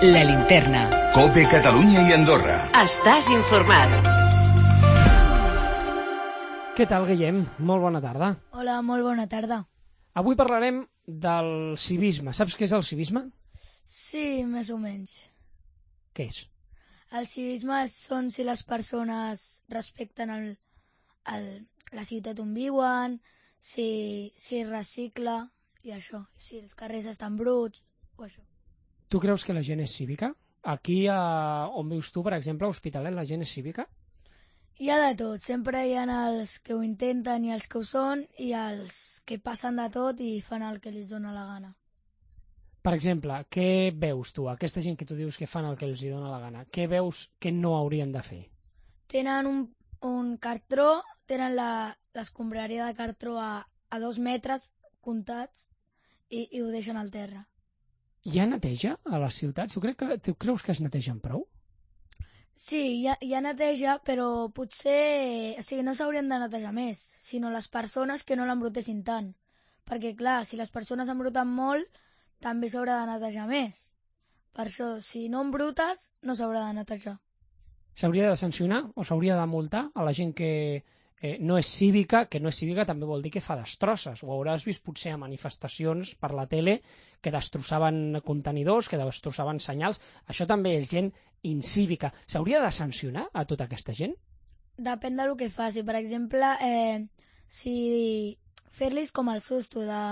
La Linterna. COPE Catalunya i Andorra. Estàs informat. Què tal, Guillem? Molt bona tarda. Hola, molt bona tarda. Avui parlarem del civisme. Saps què és el civisme? Sí, més o menys. Què és? El civisme són si les persones respecten la ciutat on viuen, si recicla i això, si els carrers estan bruts o això. Tu creus que la gent és cívica? Aquí, on vius tu, per exemple, a Hospitalet, la gent és cívica? Hi ha de tot, sempre hi ha els que ho intenten i els que ho són i els que passen de tot i fan el que els dona la gana. Per exemple, què veus tu? Aquesta gent que tu dius que fan el que els dona la gana, què veus que no haurien de fer? Tenen un cartró, tenen l'escombraria de cartró a 2 metres comptats i ho deixen al terra. Hi ha neteja a les ciutats? Tu creus que es netegen prou? Sí, hi ha neteja, però potser no s'haurien de netejar més, sinó les persones que no l'embrutessin tant. Perquè, clar, si les persones embruten molt, també s'haurà de netejar més. Per això, si no embrutes, no s'haurà de netejar. S'hauria de sancionar o s'hauria de multar a la gent que no és cívica, que no és cívica també vol dir que fa destrosses. Ho hauràs vist potser a manifestacions per la tele que destrossaven contenidors, que destrossaven senyals. Això també és gent incívica. S'hauria de sancionar a tota aquesta gent? Depèn del que faci. Per exemple, si fer-los com el susto de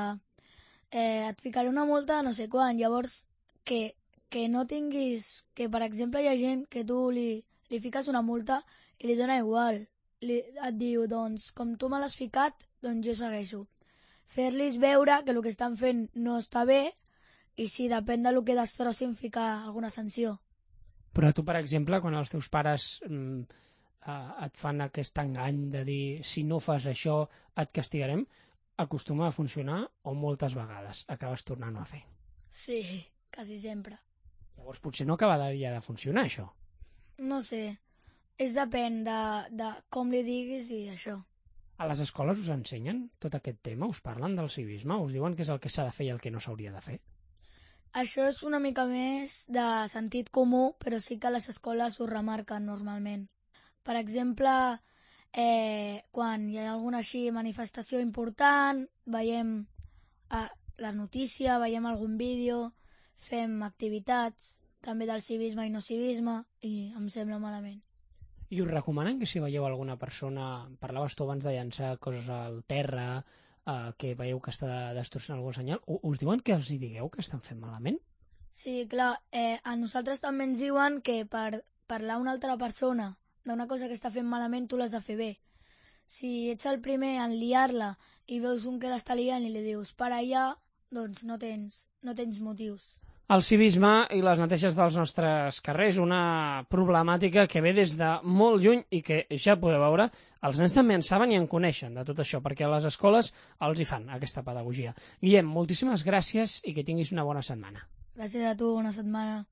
et ficaré una multa de no sé quan, llavors que no tinguis, que per exemple hi ha gent que tu li fiques una multa i li dona igual. Et diu, doncs, com tu me l'has ficat, doncs jo segueixo. Fer-los veure que el que estan fent no està bé i si depèn del que destrossin ficar alguna sanció. Però tu, per exemple, quan els teus pares et fan aquest engany de dir si no fas això et castigarem, acostuma a funcionar o moltes vegades acabes tornant-ho a fer? Sí, quasi sempre. Llavors potser no acabaria de funcionar això. No sé, depèn de com li diguis i això. A les escoles us ensenyen tot aquest tema? Us parlen del civisme? Us diuen què és el que s'ha de fer i el que no s'hauria de fer? Això és una mica més de sentit comú, però sí que les escoles ho remarquen normalment. Per exemple, quan hi ha alguna manifestació important, veiem la notícia, veiem algun vídeo, fem activitats, també del civisme i no civisme, i em sembla malament. I us recomanen que si veieu alguna persona, parlaves tu abans de llançar coses al terra, que veieu que està destrossant algun senyal, us diuen que els hi digueu que estan fent malament? Sí, clar, a nosaltres també ens diuen que per parlar a una altra persona d'una cosa que està fent malament tu l'has de fer bé. Si ets el primer en liar-la i veus un que l'està liant i li dius para allà, doncs no tens motius. El civisme i les neteges dels nostres carrers, una problemàtica que ve des de molt lluny i que ja podeu veure, els nens també en saben i en coneixen de tot això, perquè a les escoles els hi fan aquesta pedagogia. Guillem, moltíssimes gràcies i que tinguis una bona setmana. Gràcies a tu, bona setmana.